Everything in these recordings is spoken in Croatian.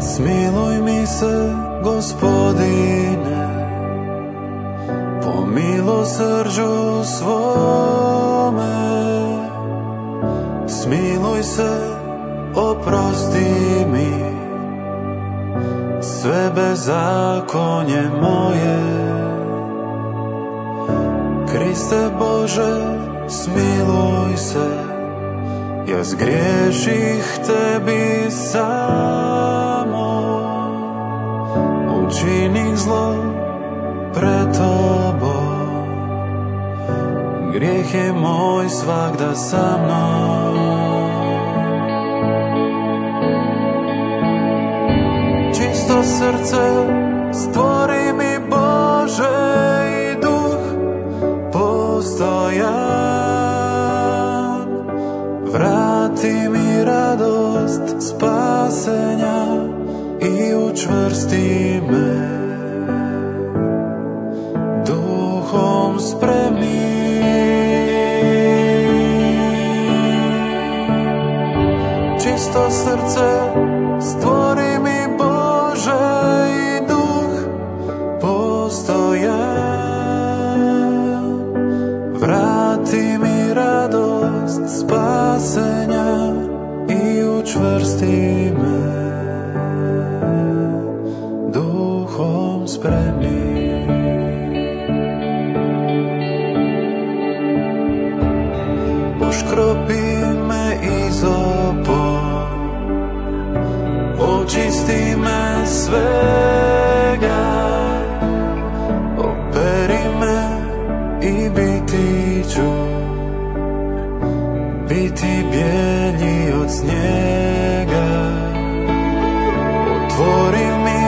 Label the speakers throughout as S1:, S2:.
S1: Smiluj mi se, Gospodine, po milosrđu svome. Smiluj se, oprosti mi sve bezakonje moje. Kriste Bože, smiluj se, ja zgriješih tebi samo, učinih zlo pred tobom, grijeh je moj svagda sa mnom. Čisto srce stvori mi, Bože, i duh postojan. Vrati mi radost spasenja i učvrsti me duhom spremni. Čisto srce stvori mi, Bože, i duh postojan. Vrati mi radost spasenja i učvrsti me duhom spremni. Poškropi me izopom, očisti me svega, operi me i biti ću, biti bijelji od snijega. Otvori mi,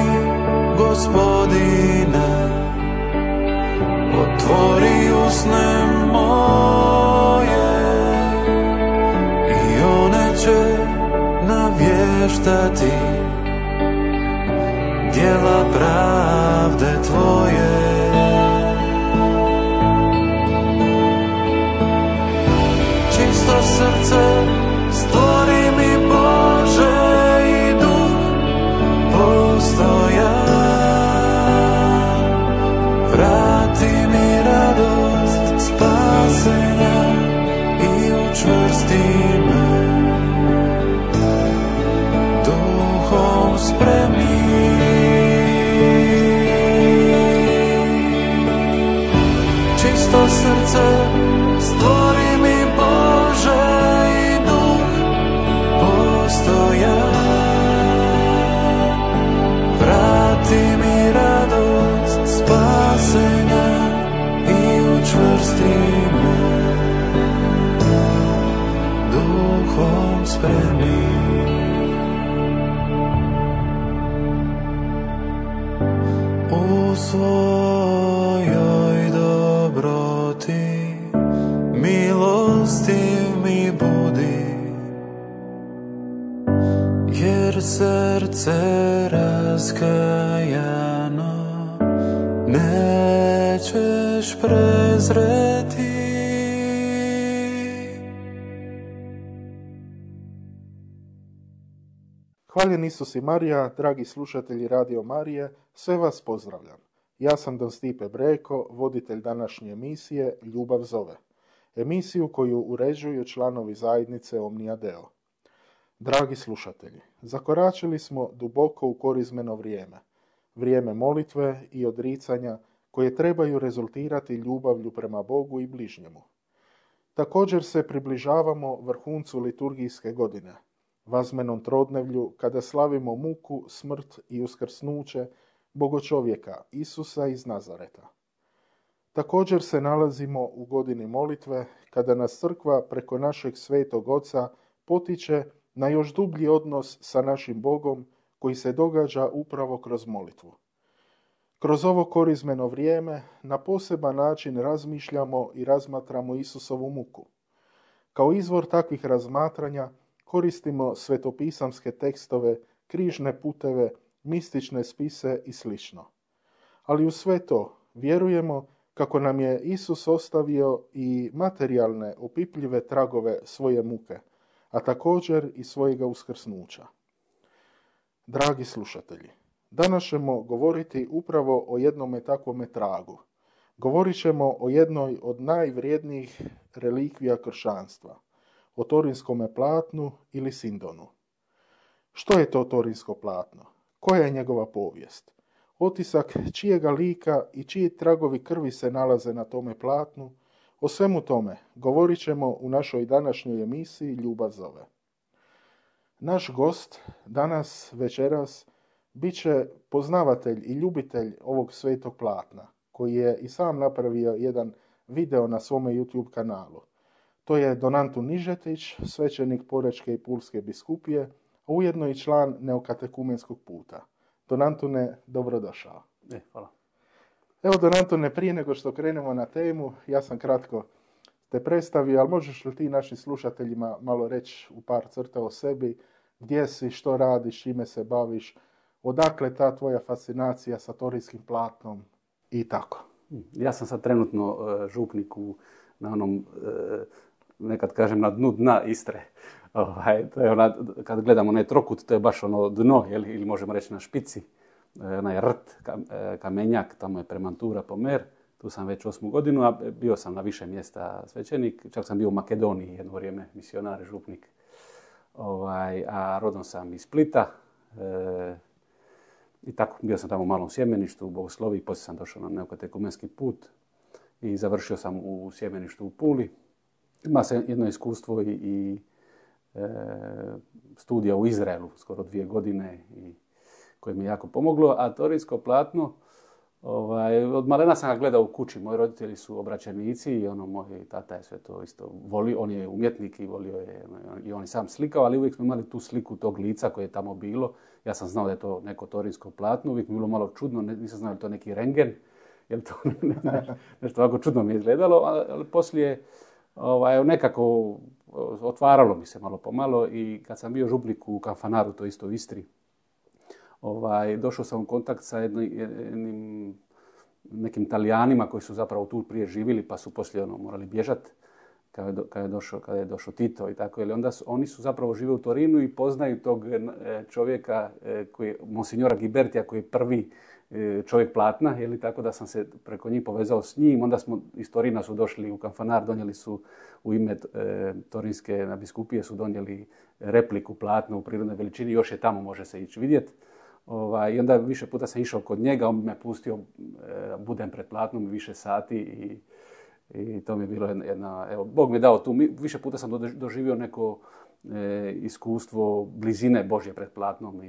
S1: Gospodine, otvori usne moje i one će navještati djela pravde tvoje. Čisto srce stvori mi, Bože, i duh postojan. Vrati mi radost spasenja i učvrsti me duhom spremni. Čisto srce stvori mi, Bože, i duh postojan. Vrati mi radost spasenja i učvrsti me duhom spremni. U svojoj dobroti milostiv mi budi, jer srce raskajano nećeš prezreti.
S2: Hvaljen Isus i Marija, dragi slušatelji Radio Marije, sve vas pozdravljam. Ja sam Don Stipe Breko, voditelj današnje emisije Ljubav zove. Emisiju koju uređuju članovi zajednice Omnia Deo. Dragi slušatelji, zakoračili smo duboko u korizmeno vrijeme. Vrijeme molitve i odricanja koje trebaju rezultirati ljubavlju prema Bogu i bližnjemu. Također se približavamo vrhuncu liturgijske godine, Vazmenom trodnevlju, kada slavimo muku, smrt i uskrsnuće Bogočovjeka Isusa iz Nazareta. Također se nalazimo u godini molitve, kada nas crkva preko našeg svetog oca potiče na još dublji odnos sa našim Bogom koji se događa upravo kroz molitvu. Kroz ovo korizmeno vrijeme na poseban način razmišljamo i razmatramo Isusovu muku. Kao izvor takvih razmatranja koristimo svetopisamske tekstove, križne puteve, mistične spise i sl. Ali u sve to vjerujemo kako nam je Isus ostavio i materijalne, opipljive tragove svoje muke, a također i svojega uskrsnuća. Dragi slušatelji, danas ćemo govoriti upravo o jednome takvome tragu. Govorit ćemo o jednoj od najvrijednijih relikvija kršćanstva, o Torinskome platnu ili Sindonu. Što je to Torinsko platno? Koja je njegova povijest? Otisak čijega lika i čiji tragovi krvi se nalaze na tome platnu? O svemu tome govorit ćemo u našoj današnjoj emisiji Ljubav zove. Naš gost danas, večeras, bit će poznavatelj i ljubitelj ovog svetog platna, koji je i sam napravio jedan video na svome YouTube kanalu. To je Don Antun Nižetić, svećenik Porečke i Pulske biskupije, a ujedno i član Neokatekumenskog puta. Don Antune, dobrodošao.
S3: Hvala.
S2: Evo, Don Antune, prije nego što krenemo na temu, ja sam kratko te predstavio, ali možeš li ti našim slušateljima malo reći u par crta o sebi, gdje si, što radiš, čime se baviš, odakle ta tvoja fascinacija sa torijskim platnom i tako?
S3: Ja sam sad trenutno župnik na onom, nekad kažem, na dnu dna Istre. To je kad gledamo onaj trokut, to je baš ono dno, ili možemo reći na špici, onaj rt, kamenjak, tamo je Premantura, Pomer. Tu sam već 8. godinu, a bio sam na više mjesta svećenik. Čak sam bio u Makedoniji jedno vrijeme, misionar, župnik. A rodom sam iz Splita. I tako, bio sam tamo u Malom Sjemeništu, u Bogosloviji, poslije sam došao na Neokatekumenski put i završio sam u Sjemeništu u Puli. Ima sam jedno iskustvo i studija u Izraelu, skoro 2 godine, i koje mi je jako pomoglo. A torijsko platno, od malena sam ga gledao u kući. Moji roditelji su obraćenici i moj tata je sve to isto volio. On je umjetnik i volio je, i on je sam slikao, ali uvijek smo imali tu sliku tog lica koje je tamo bilo. Ja sam znao da je to neko torijsko platno, uvijek mi bilo malo čudno, nisam znao da je to neki rengen, jer to nešto ovako čudno mi je izgledalo, ali poslije nekako otvaralo mi se malo pomalo i kad sam bio župnik u Kanfanaru, to isto u Istri, došao sam u kontakt sa nekim Talijanima koji su zapravo tu prije živjeli, pa su poslije morali bježati kada je došao Tito i tako. Onda oni su zapravo žive u Torinu i poznaju tog čovjeka, monsignora Ghibertija, koji je prvi čovjek platna, tako da sam se preko njih povezao s njim. Onda smo iz Torina su došli u Kanfanar, donijeli su u ime Torinske biskupije su donijeli repliku platna u prirodnoj veličini, još je tamo, može se ići vidjeti. I onda više puta sam išao kod njega, on me pustio, budem pred platnom više sati i to mi je bilo jedna, evo, Bog mi je dao tu, više puta sam doživio neko iskustvo blizine Božje pred platnom.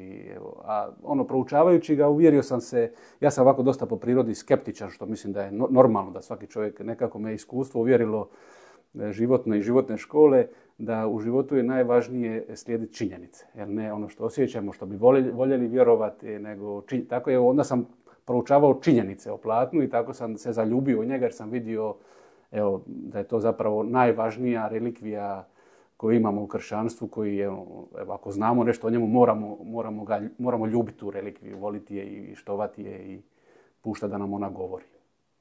S3: A proučavajući ga, uvjerio sam se, ja sam ovako dosta po prirodi skeptičan, što mislim da je normalno da svaki čovjek, nekako me iskustvo uvjerilo životno i životne škole, da u životu je najvažnije slijediti činjenice. Jer ne ono što osjećamo, što bi voljeli vjerovati, nego tako je. Onda sam proučavao činjenice o platnu i tako sam se zaljubio u njega jer sam vidio da je to zapravo najvažnija relikvija koju imamo u kršćanstvu, koji je, ako znamo nešto o njemu, moramo ljubiti tu relikviju, voliti je i štovati je i puštati da nam ona govori.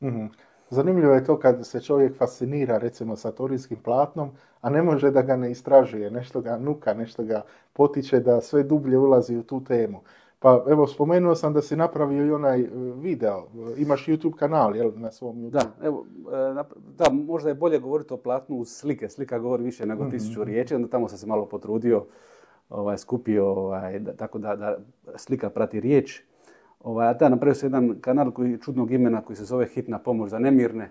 S2: Mm-hmm. Zanimljivo je to kad se čovjek fascinira recimo sa torijskim platnom, a ne može da ga ne istražuje, nešto ga nuka, nešto ga potiče da sve dublje ulazi u tu temu. Pa evo, spomenuo sam da si napravio i onaj video, imaš YouTube kanal, jel, na svom YouTube?
S3: Da, možda je bolje govoriti o platnu uz slike, slika govori više nego 1000 riječi, onda tamo sam se malo potrudio, skupio, tako da slika prati riječ. Napravio sam jedan kanal čudnog imena koji se zove Hitna pomoć za nemirne.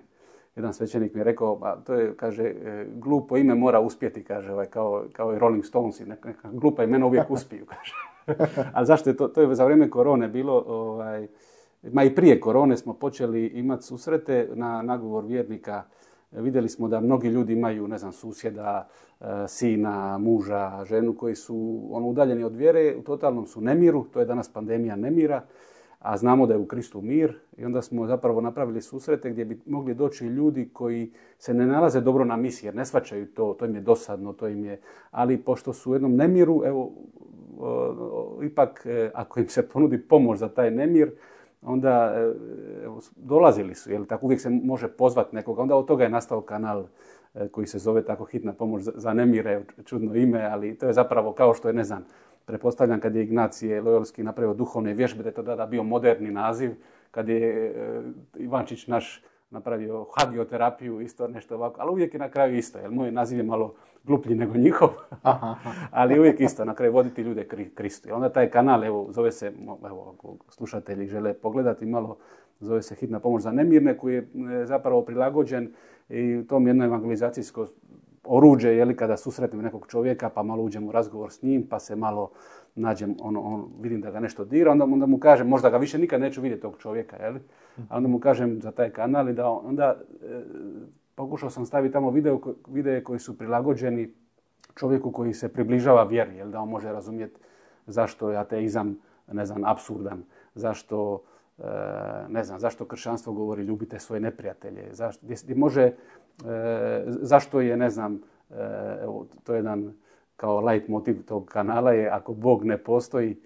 S3: Jedan svećenik mi je rekao, to je, kaže, glupo ime mora uspjeti, kaže, kao i Rolling Stones, neka glupa imena uvijek uspiju, kaže. A zašto je to? To je za vrijeme korone bilo, i prije korone smo počeli imati susrete na nagovor vjernika. Vidjeli smo da mnogi ljudi imaju, susjeda, sina, muža, ženu koji su udaljeni od vjere, u totalnom su nemiru, to je danas pandemija nemira, a znamo da je u Kristu mir, i onda smo zapravo napravili susrete gdje bi mogli doći ljudi koji se ne nalaze dobro na misiji, jer ne shvaćaju to im je dosadno, ali pošto su u jednom nemiru, ipak ako im se ponudi pomoć za taj nemir, onda dolazili su, tako uvijek se može pozvati nekoga. Onda od toga je nastao kanal koji se zove tako Hitna pomoć za nemire, čudno ime, ali to je zapravo kao što je, Pretpostavljam kad je Ignacije Loyolski napravio duhovne vježbe, da je to tada bio moderni naziv, kad je Ivančić naš napravio hagioterapiju, isto nešto ovako, ali uvijek je na kraju isto, jer moj naziv je malo gluplji nego njihov, ali uvijek isto, na kraju voditi ljude Kristu. I onda taj kanal, evo, zove se, evo, ako slušatelji žele pogledati malo, zove se Hitna pomoć za nemirne, koji je zapravo prilagođen i tom jedno evangelizacijsko oruđe, jeli, kada susretnem nekog čovjeka, pa malo uđem u razgovor s njim, pa se malo nađem, vidim da ga nešto dira, onda mu kažem, možda ga više nikad neću vidjeti tog čovjeka, jeli? A onda mu kažem za taj kanal i da onda pokušao sam staviti tamo videe koji su prilagođeni čovjeku koji se približava vjeri, jel, da on može razumjeti zašto je ateizam, ne znam, apsurdan, zašto kršćanstvo govori ljubite svoje neprijatelje, zašto je, ne znam, evo, to je jedan kao light motiv tog kanala je ako Bog ne postoji,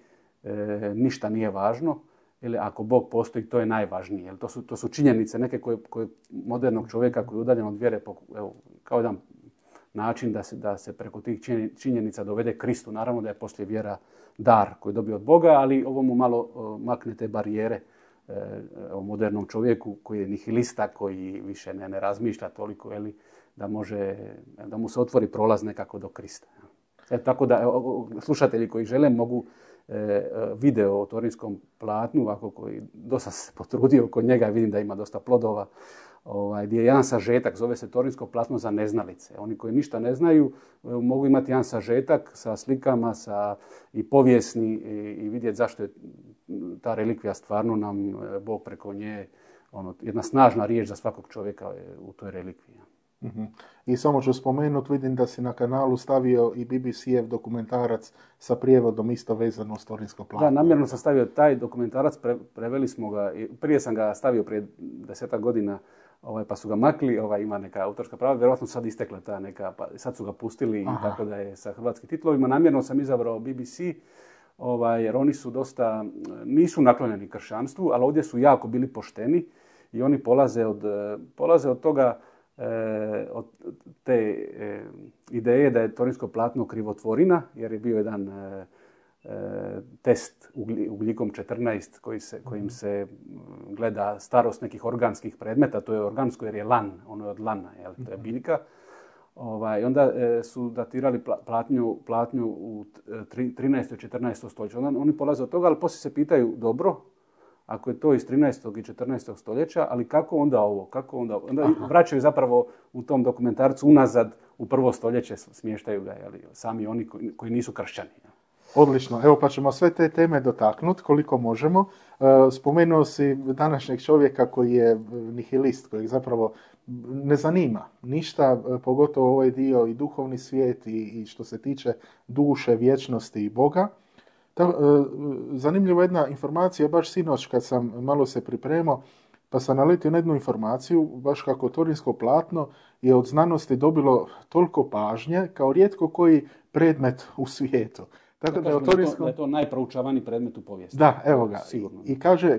S3: ništa nije važno, ili ako Bog postoji, to je najvažnije. To su činjenice neke koje modernog čovjeka koji je udaljen od vjere, evo, kao jedan način da se preko tih činjenica dovede Kristu. Naravno da je poslije vjera dar koji je dobio od Boga, ali ovo mu malo makne te barijere o modernom čovjeku koji je nihilista, koji više ne razmišlja toliko, jeli, da mu se otvori prolaz nekako do Krista. Tako da slušatelji koji žele mogu video o Torinskom platnu, ako koji dosta se potrudio kod njega, vidim da ima dosta plodova, gdje je jedan sažetak, zove se Torinsko platno za neznalice. Oni koji ništa ne znaju mogu imati jedan sažetak sa slikama i povijesni i vidjeti zašto je ta relikvija stvarno nam Bog preko nje, jedna snažna riječ za svakog čovjeka u toj relikviji.
S2: I samo ću spomenuti, vidim da si na kanalu stavio i BBC-ev dokumentarac sa prijevodom isto vezano s Torinsko platno.
S3: Da, namjerno sam stavio taj dokumentarac, preveli smo ga, prije sam ga stavio prije 10 godina, pa su ga makli, ima neka autorska prava, vjerojatno sad istekla ta neka, pa sad su ga pustili i tako da je sa hrvatskim titlovima. Namjerno sam izabrao BBC, jer oni su nisu naklonjeni kršćanstvu, ali ovdje su jako bili pošteni i oni polaze od toga, od te ideje da je Torinsko platno krivotvorina, jer je bio jedan test ugljikom 14 kojim se gleda starost nekih organskih predmeta. To je organsko jer je lan, ono je od lana, to je biljka. I onda su datirali platnju u 13. i 14. stoljeću. Oni polaze od toga, ali poslije se pitaju, dobro, ako je to iz 13. i 14. stoljeća, ali kako onda ovo? Onda vraćaju zapravo u tom dokumentarcu unazad u prvo stoljeće, smještaju ga, sami oni koji nisu kršćani.
S2: Odlično. Evo pa ćemo sve te teme dotaknuti koliko možemo. Spomenuo si današnjeg čovjeka koji je nihilist, koji zapravo ne zanima ništa, pogotovo ovaj dio i duhovni svijet i što se tiče duše, vječnosti i Boga. Zanimljiva jedna informacija, baš sinoć kad sam malo se pripremao, pa sam naletio na jednu informaciju, baš kako Torinsko platno je od znanosti dobilo toliko pažnje kao rijetko koji predmet u svijetu.
S3: Tako da je to najproučavaniji predmet u povijesti.
S2: Da, evo ga. Sigurno. I kaže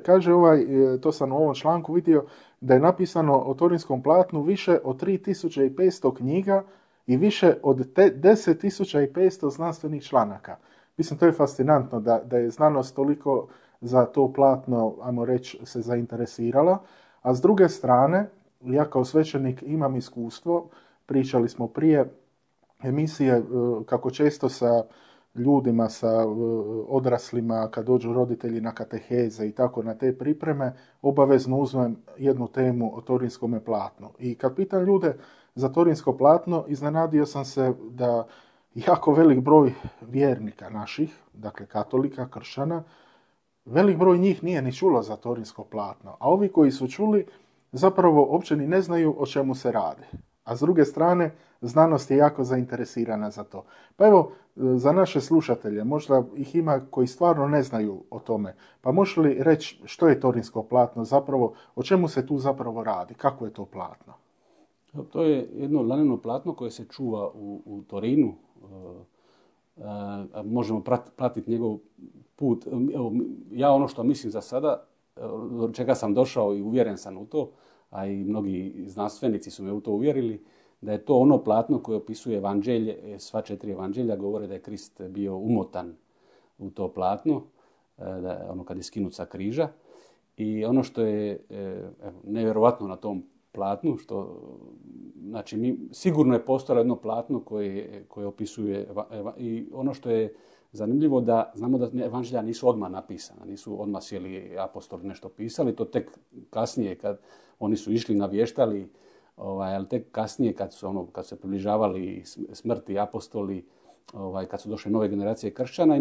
S2: to sam u ovom članku vidio, da je napisano o Torinskom platnu više od 3500 knjiga i više od 10.500 znanstvenih članaka. Mislim, to je fascinantno da je znanost toliko za to platno, ajmo reći, se zainteresirala. A s druge strane, ja kao svećenik imam iskustvo, pričali smo prije emisije kako često sa ljudima, sa odraslima, kad dođu roditelji na kateheze i tako na te pripreme, obavezno uzmem jednu temu o Torinskome platnu. I kad pitam ljude za Torinsko platno, iznenadio sam se da jako velik broj vjernika naših, dakle katolika, kršćana, velik broj njih nije ni čulo za Torinsko platno. A ovi koji su čuli, zapravo uopće ni ne znaju o čemu se radi. A s druge strane, znanost je jako zainteresirana za to. Pa evo, za naše slušatelje, možda ih ima koji stvarno ne znaju o tome. Pa možeš li reći što je Torinsko platno zapravo, o čemu se tu zapravo radi, kako je to platno?
S3: To je jedno laneno platno koje se čuva u Torinu. Možemo pratiti njegov put. Evo, ja ono što mislim za sada, od čega sam došao i uvjeren sam u to, a i mnogi znanstvenici su me u to uvjerili, da je to ono platno koje opisuje evanđelje, sva 4 evanđelja govore da je Krist bio umotan u to platno, ono kad je skinut sa križa. I ono što je nevjerovatno na tom platnu, znači sigurno je postojalo jedno platno koje opisuje, i ono što je zanimljivo da znamo da evanđelja nisu odmah napisana, nisu odmah sjeli apostoli nešto pisali, to tek kasnije kad oni su išli navještali, ali tek kasnije kad se približavali smrti apostoli, kad su došle nove generacije kršćana,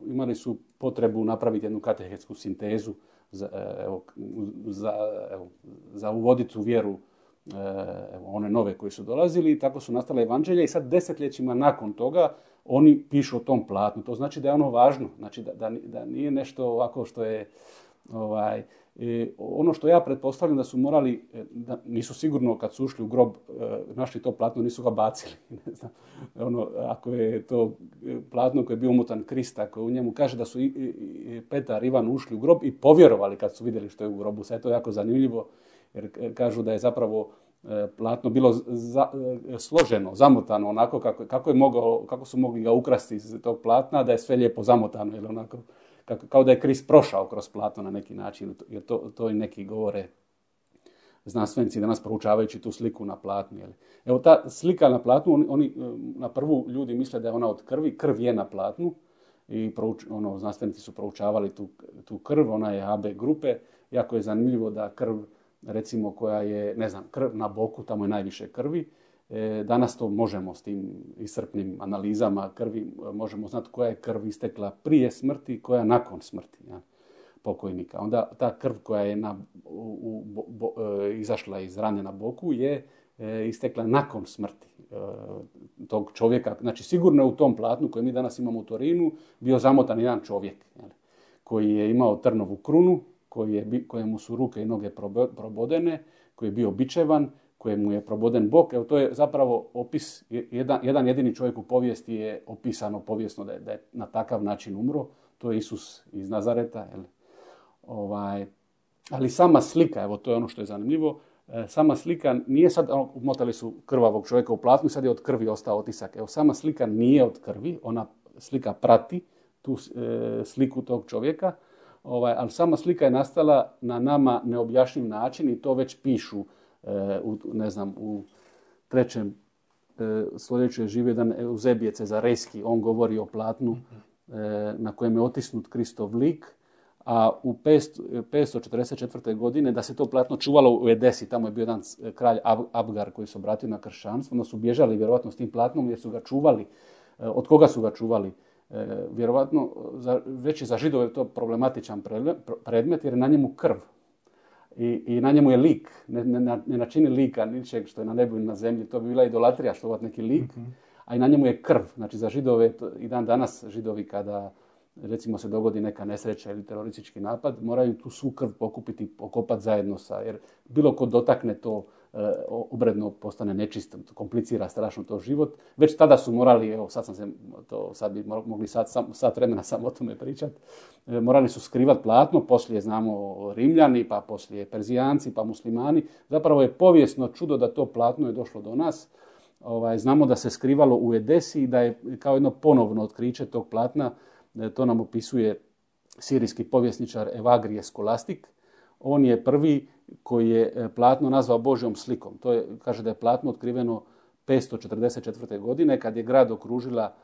S3: imali su potrebu napraviti jednu katehetsku sintezu za uvoditi u vjeru one nove koji su dolazili, i tako su nastale evanđelje, i sad desetljećima nakon toga oni pišu o tom platnu. To znači da je ono važno, znači da nije nešto ovako što je ono što ja pretpostavljam da su morali, da nisu sigurno kad su ušli u grob našli to platno, nisu ga bacili. Ne znam. Ako je to platno koje je bio umutan Krista, koji u njemu kaže da su Petar i Ivan ušli u grob i povjerovali kad su vidjeli što je u grobu. Sad je to jako zanimljivo, jer kažu da je zapravo platno bilo složeno, zamotano onako kako su mogli ga ukrasti iz tog platna, da je sve lijepo zamotano, ili onako kao da je Krist prošao kroz platno na neki način, jer to i neki govore znanstvenici danas proučavajući tu sliku na platnu. Evo ta slika na platnu, oni na prvu ljudi misle da je ona od krvi, krv je na platnu, i znanstvenici su proučavali tu krv, ona je AB grupe. Jako je zanimljivo da krv, recimo koja je, ne znam, krv na boku, tamo je najviše krvi. Danas to možemo s tim iscrpnim analizama krvi, možemo znati koja je krv istekla prije smrti, koja nakon smrti pokojnika. Onda ta krv koja je izašla iz rane na boku je istekla nakon smrti tog čovjeka. Znači sigurno je u tom platnu koje mi danas imamo u Torinu bio zamotan jedan čovjek koji je imao trnovu krunu, kojemu su ruke i noge probodene, koji je bio bičevan, kojemu je proboden bok. Evo to je zapravo opis, jedan jedini čovjek u povijesti je opisano povijesno da je na takav način umro. To je Isus iz Nazareta. Ali sama slika, evo to je ono što je zanimljivo, sama slika nije sad, umotali su krvavog čovjeka u platnu i sad je od krvi ostao otisak. Evo sama slika nije od krvi, ona slika prati tu sliku tog čovjeka, ali sama slika je nastala na nama neobjašnjiv način i to već pišu u 3. stoljeću je živio jedan Euzebije Cezarejski, on govori o platnu na kojem je otisnut Kristov lik, a u 544. godine da se to platno čuvalo u Edesi, tamo je bio jedan kralj Abgar koji se obratio na kršćanstvo, onda su bježali vjerovatno s tim platnom jer su ga čuvali. Od koga su ga čuvali? Vjerovatno, već je za Židove to problematičan predmet jer je na njemu krv. I na njemu je lik, ne načini lika ničeg što je na nebu i na zemlji, to bi bila idolatrija štovat neki lik, a i na njemu je krv. Znači za Židove, i dan danas Židovi kada recimo se dogodi neka nesreća ili teroristički napad, moraju tu svu krv pokupiti, pokopati zajedno jer bilo ko dotakne to obredno postane nečisto, komplicira strašno to život. Već tada su morali, evo sad bi mogli sat vremena samo o tome pričati, morali su skrivati platno, poslije znamo Rimljani, pa poslije Perzijanci, pa muslimani. Zapravo je povijesno čudo da to platno je došlo do nas. Znamo da se skrivalo u Edesi i da je kao jedno ponovno otkriće tog platna, to nam opisuje sirijski povjesničar Evagrije Skolastik. On je prvi koji je platno nazvao Božjom slikom. Kaže da je platno otkriveno 544. godine kad je grad okružila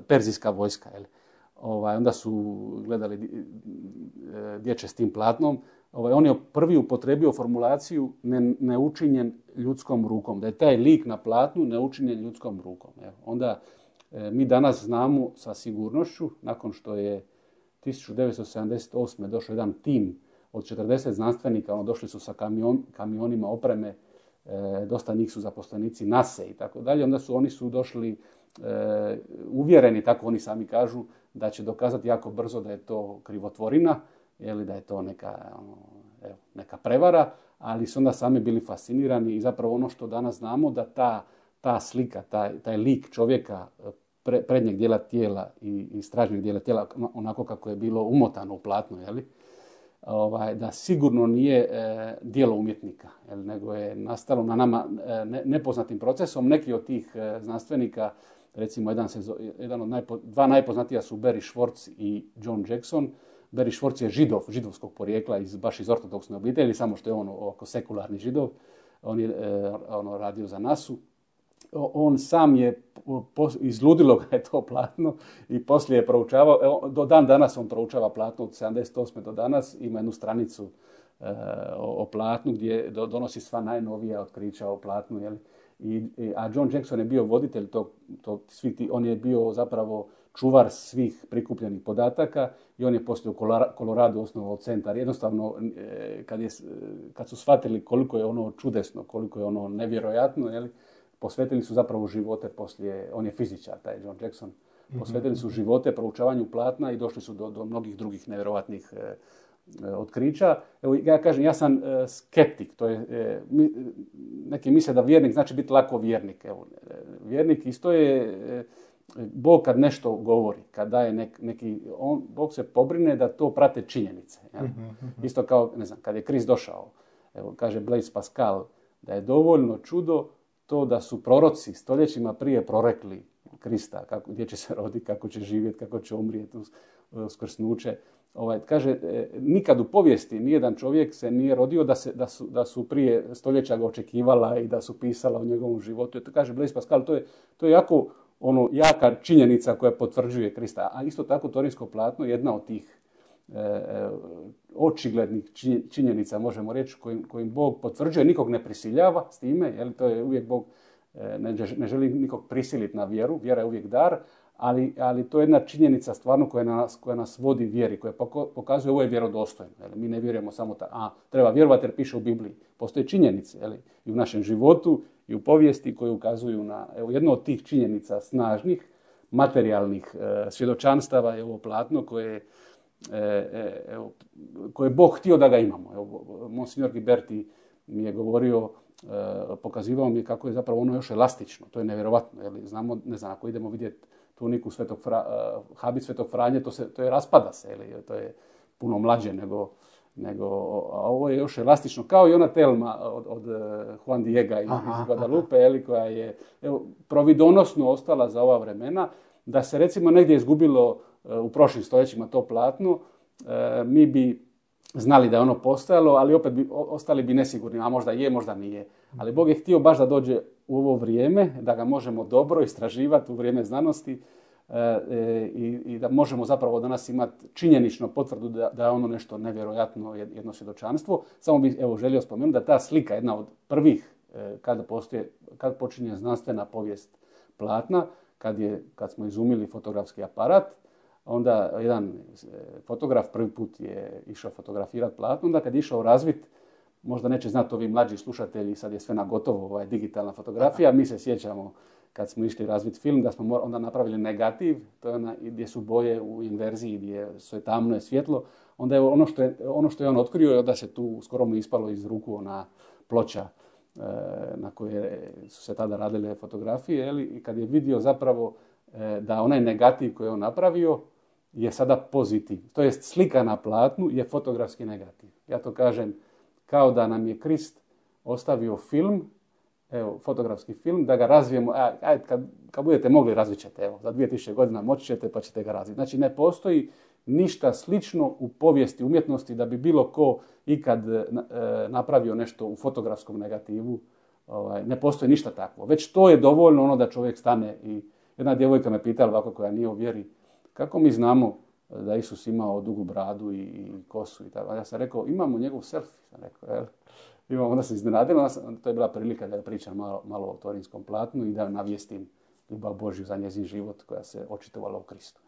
S3: perzijska vojska. Onda su gledali dječe s tim platnom. On je prvi upotrebio formulaciju neučinjen ljudskom rukom. Da je taj lik na platnu neučinjen ljudskom rukom. Onda mi danas znamo sa sigurnošću, nakon što je 1978. došao jedan tim od 40 znanstvenika, došli su sa kamionima opreme, dosta njih su zaposlenici NASA i tako dalje, onda oni su došli uvjereni, tako oni sami kažu, da će dokazati jako brzo da je to krivotvorina, da je to neka prevara, ali su onda sami bili fascinirani i zapravo ono što danas znamo da ta slika, taj lik čovjeka prednjeg dijela tijela i stražnjeg dijela tijela, onako kako je bilo umotano u platno, da sigurno nije djelo umjetnika, nego je nastalo na nama nepoznatim procesom. Neki od tih znanstvenika recimo dva najpoznatija su Barry Schwartz i John Jackson. Barry Schwartz je židovskog porijekla, baš iz ortodoksne obitelji, samo što je on oko sekularni židov. On je radio za NASA-u. On sam je izludilo ga je to platno i poslije je proučavao, do dan danas on proučava platno od 78. do danas, ima jednu stranicu o platnu gdje donosi sva najnovija otkrića o platnu, jel? A John Jackson je bio voditelj on je bio zapravo čuvar svih prikupljenih podataka i on je poslije u Koloradu osnovao centar. Jednostavno, kad su shvatili koliko je ono čudesno, koliko je ono nevjerojatno, jel? Posvetili su zapravo živote poslije, on je fizičar, taj John Jackson, posvetili su živote proučavanju platna i došli su do mnogih drugih nevjerojatnih otkrića. Evo, ja kažem, ja sam skeptik, to je, neki misle da vjernik znači biti lako vjernik. Evo, vjernik isto je, Bog kad nešto govori, kad daje Bog se pobrine da to prate činjenice. Ja? Isto kao, ne znam, kad je Krist došao, evo, kaže Blaise Pascal, da je dovoljno čudo to da su proroci stoljećima prije prorekli Krista, gdje će se roditi, kako će živjeti, kako će umrijeti, uskrsnuće. Kaže, nikad u povijesti nijedan čovjek se nije rodio da su prije stoljeća ga očekivala i da su pisala o njegovom životu. To kaže Blaise Pascal, to je jako jaka činjenica koja potvrđuje Krista. A isto tako torinsko platno je jedna od tih očiglednih činjenica, možemo reći, kojim Bog potvrđuje, nikog ne prisiljava s time, jer to je uvijek Bog ne želi nikog prisiliti na vjeru, vjera je uvijek dar, ali to je jedna činjenica stvarno koja nas vodi vjeri, koja pokazuje ovo je vjerodostojno. Mi ne vjerujemo samo treba vjerovati jer piše u Bibliji. Postoje činjenice i u našem životu i u povijesti koje ukazuju na jedno od tih činjenica snažnih, materijalnih svjedočanstava je ovo platno koje je Bog htio da ga imamo. Monsignor Ghiberti mi je govorio, pokazivao mi kako je zapravo ono još elastično. To je nevjerovatno. Znamo, ne znam, ako idemo vidjeti tuniku habit Svetog Franje, to je raspada se. To je puno mlađe nego a ovo je još elastično. Kao i ona telma od Juan Diega iz Guadalupe, koja je providonosno ostala za ova vremena. Da se recimo negdje izgubilo u prošlim stoljećima to platno, mi bi znali da je ono postojalo, ali opet ostali bi nesigurni, a možda je, možda nije. Ali Bog je htio baš da dođe u ovo vrijeme, da ga možemo dobro istraživati u vrijeme znanosti i da možemo zapravo danas imati činjenično potvrdu da je ono nešto nevjerojatno, jedno svjedočanstvo. Samo bih želio spomenuti da ta slika, jedna od prvih kad počinje znanstvena povijest platna, kad smo izumili fotografski aparat, onda jedan fotograf prvi put je išao fotografirati platno, onda kad je išao razvit, možda neće znati ovi mlađi slušatelji, sad je sve na gotovo, digitalna fotografija, mi se sjećamo kad smo išli razvit film, da smo onda napravili negativ, to je gdje su boje u inverziji, gdje je tamno i svjetlo, onda je ono što je on otkrio, da se tu skoro mu ispalo iz ruku ona ploča na koje su se tada radile fotografije, i kad je vidio zapravo da onaj negativ koji je on napravio je sada pozitiv. To jest slika na platnu je fotografski negativ. Ja to kažem kao da nam je Krist ostavio film, fotografski film, da ga razvijemo, kad budete mogli razvit ćete, za 2000 godina moći ćete pa ćete ga razviti. Znači ne postoji ništa slično u povijesti umjetnosti da bi bilo ko ikad napravio nešto u fotografskom negativu. Ne postoji ništa takvo. Već to je dovoljno da čovjek stane. I jedna djevojka me pitala ovako, koja nije u vjeri, kako mi znamo da Isus imao dugu bradu i kosu i tako. Ja sam rekao, imamo njegov selfie. Sam rekao, onda sam iznenadila, to je bila prilika da pričam malo o torinskom platnu i da navijestim ljubav Božju za njezin život koja se očitovala u Kristu.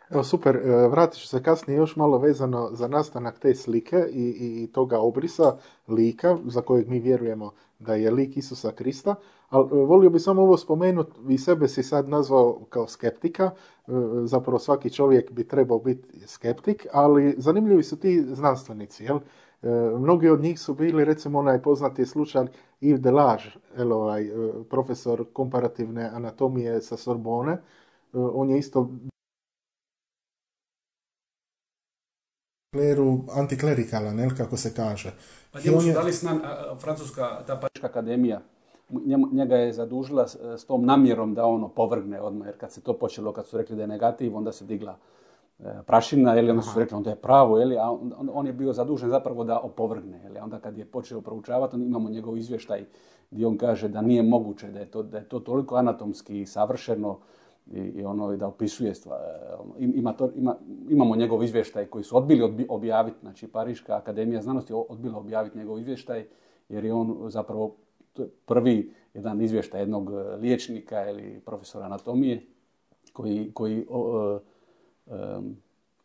S2: Evo, super, vratit ću se kasnije još malo vezano za nastanak te slike i toga obrisa lika za kojeg mi vjerujemo da je lik Isusa Krista, ali volio bi samo ovo spomenuti, vi sebe si sad nazvao kao skeptika, zapravo svaki čovjek bi trebao biti skeptik, ali zanimljivi su ti znanstvenici, jel? Mnogi od njih su bili, recimo onaj poznati slučaj Yves Delage, profesor komparativne anatomije sa Sorbone, on je isto antiklerikalan, kako se kaže.
S3: Pa njemu su dali francuska ta Pariška akademija njega je zadužila s tom namjerom da on opovrgne odmah, jer kad se to počelo, kad su rekli da je negativ, onda se digla prašina, onda su rekli onda je pravo, a on je bio zadužen zapravo da opovrgne. Onda kad je počeo proučavati, imamo njegov izvještaj gdje on kaže da nije moguće, da je to toliko anatomski savršeno i da opisuje stvar. Imamo njegov izvještaj koji su odbili objaviti, znači Pariška akademija znanosti odbila objaviti njegov izvještaj, jer je on zapravo prvi jedan izvještaj jednog liječnika ili profesora anatomije koji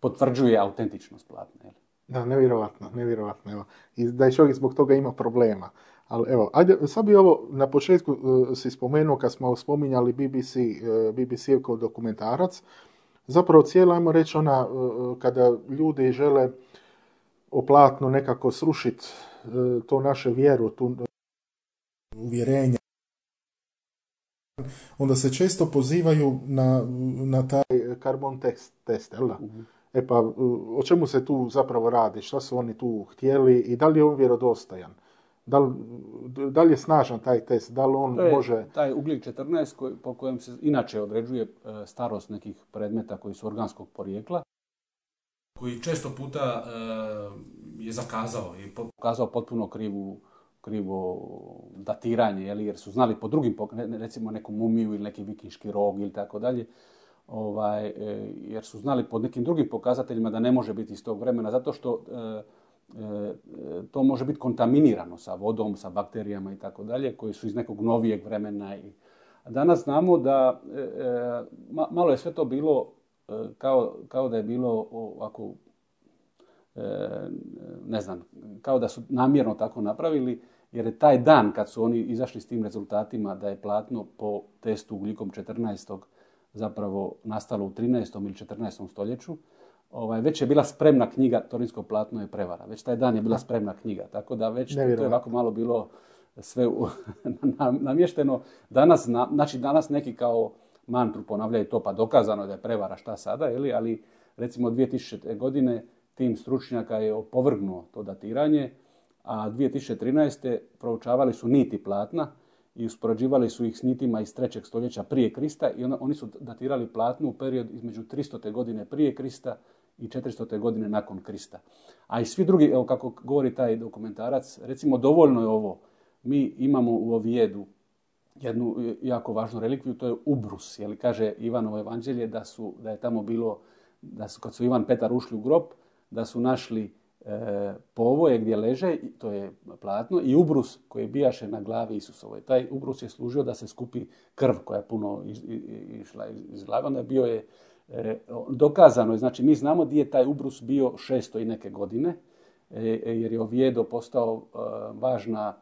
S3: potvrđuje autentičnost platna.
S2: Da, nevjerojatno. Evo. I da je čovjek zbog toga ima problema. Ali evo, ajde, sad bi ovo na početku si spomenuo kad smo spominjali BBC kao dokumentarac. Zapravo cijela, ajmo reći, kada ljudi žele o platnu nekako srušiti to naše vjeru, tu uvjerenje, onda se često pozivaju na taj carbon test, jel da? E pa, o čemu se tu zapravo radi? Šta su oni tu htjeli i da li je on vjerodostojan? Da li je snažan taj test? Da li on može...
S3: Taj ugljik 14 po kojem se inače određuje starost nekih predmeta koji su organskog porijekla, koji često puta je zakazao i pokazao potpuno krivo datiranje, jer su znali po drugim, recimo neku mumiju ili neki vikinški rog ili tako dalje, jer su znali po nekim drugim pokazateljima da ne može biti iz tog vremena, zato što to može biti kontaminirano sa vodom, sa bakterijama i tako dalje, koji su iz nekog novijeg vremena. Danas znamo da malo je sve to bilo kao da je bilo ovako, ne znam, kao da su namjerno tako napravili, jer je taj dan kad su oni izašli s tim rezultatima da je platno po testu ugljikom 14. zapravo nastalo u 13. ili 14. stoljeću, već je bila spremna knjiga Torinsko platno je prevara. Već taj dan je bila spremna knjiga, tako da već to je ovako malo bilo sve namješteno. Danas neki kao mantru ponavljaju to, pa dokazano je da je prevara, šta sada, ali recimo 2000. godine tim stručnjaka je opovrgnuo to datiranje, a 2013. proučavali su niti platna i uspoređivali su ih s nitima iz 3. stoljeća prije Krista i oni su datirali platnu u period između 300. godine prije Krista i 400. godine nakon Krista. A i svi drugi, evo kako govori taj dokumentarac, recimo dovoljno je ovo. Mi imamo u Ovijedu jednu jako važnu relikviju, to je ubrus. Kaže Ivanovo evanđelje da je tamo bilo, kad su Ivan Petar ušli u grob, da su našli povoje gdje leže, to je platno, i ubrus koji bijaše na glavi Isusovoj. Taj ubrus je služio da se skupi krv koja je puno išla iz glave. Onda bio je dokazano, znači mi znamo gdje je taj ubrus bio 600 i neke godine, jer je Oviedo postao važna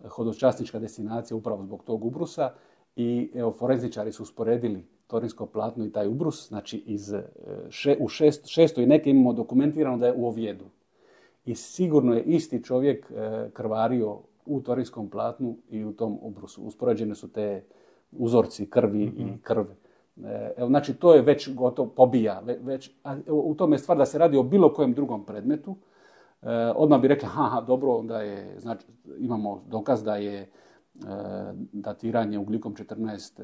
S3: hodočasnička destinacija upravo zbog tog ubrusa i forenzičari su usporedili Torinsko platno i taj ubrus, znači u 600 i neke imamo dokumentirano da je u Oviedu. I sigurno je isti čovjek krvario u Torinskom platnu i u tom ubrusu. Uspoređene su te uzorci krvi i krve. Znači to je već gotovo pobija. U tome je stvar da se radi o bilo kojem drugom predmetu. Odmah bi rekla, dobro, onda je, znači, imamo dokaz da je datiranje ugljikom 14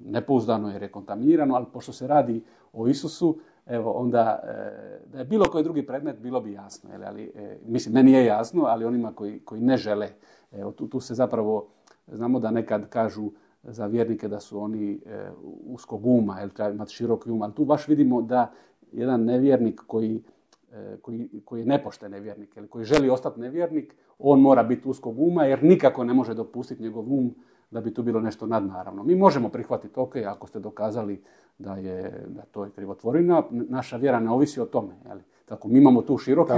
S3: nepouzdano jer je kontaminirano, ali pošto se radi o Isusu, onda da je bilo koji drugi predmet bilo bi jasno. Mislim, meni je jasno, ali onima koji ne žele. Tu se zapravo, znamo da nekad kažu za vjernike da su oni uskog uma, treba imati široki um, ali tu baš vidimo da jedan nevjernik koji je nepošten nevjernik ili koji želi ostati nevjernik, on mora biti uskog uma jer nikako ne može dopustiti njegov um da bi tu bilo nešto nadnaravno. Mi možemo prihvatiti, ok, ako ste dokazali da to je krivotvorina, naša vjera ne ovisi o tome. Tako, mi imamo tu široki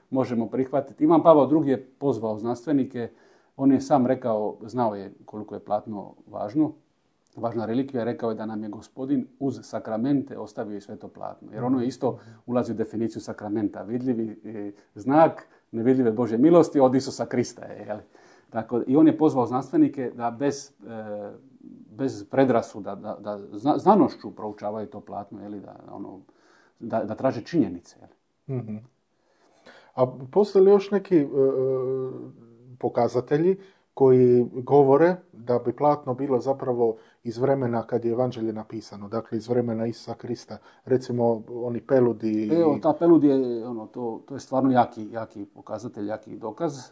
S3: možemo prihvatiti. Ivan Pavao II je pozvao znanstvenike, on je sam rekao, znao je koliko je platno važna relikvija, rekao je da nam je Gospodin uz sakramente ostavio i sveto platno. Jer ono je isto ulazi u definiciju sakramenta. Vidljivi znak nevidljive Božje milosti od Isusa Krista. Tako, i on je pozvao znanstvenike da bez predrasuda, da znanošću proučavaju to platno, da traže činjenice.
S2: A postoje li još neki pokazatelji koji govore da bi platno bilo zapravo iz vremena kad je evanđelje napisano, dakle iz vremena Isusa Krista. Recimo oni peludi...
S3: Evo, ta pelud je, to je stvarno jaki pokazatelj, jaki dokaz.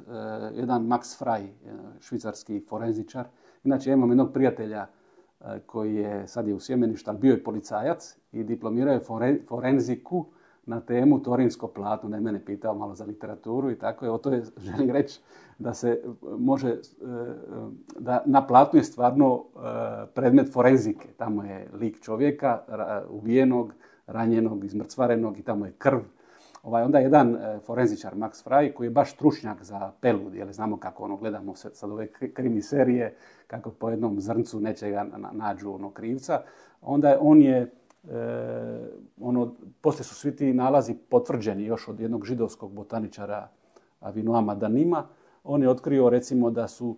S3: Jedan Max Frey, švicarski forenzičar. Inače, ja imam jednog prijatelja koji je, sad je u Sjemeništu, ali bio je policajac i diplomirao je forenziku na temu torinsko platno, da je mene pitao malo za literaturu i tako je. O to je, želim reći, da se može, da na platnu je stvarno predmet forenzike. Tamo je lik čovjeka, ubijenog, ranjenog, izmrcvarenog i tamo je krv. Onda jedan forenzičar, Max Frey, koji je baš stručnjak za pelud, jer znamo kako gledamo sad ove krimi serije, kako po jednom zrncu nečega nađu krivca. Onda on je, poslije su svi ti nalazi potvrđeni još od jednog židovskog botaničara Avinoama Danima. On je otkrio recimo da su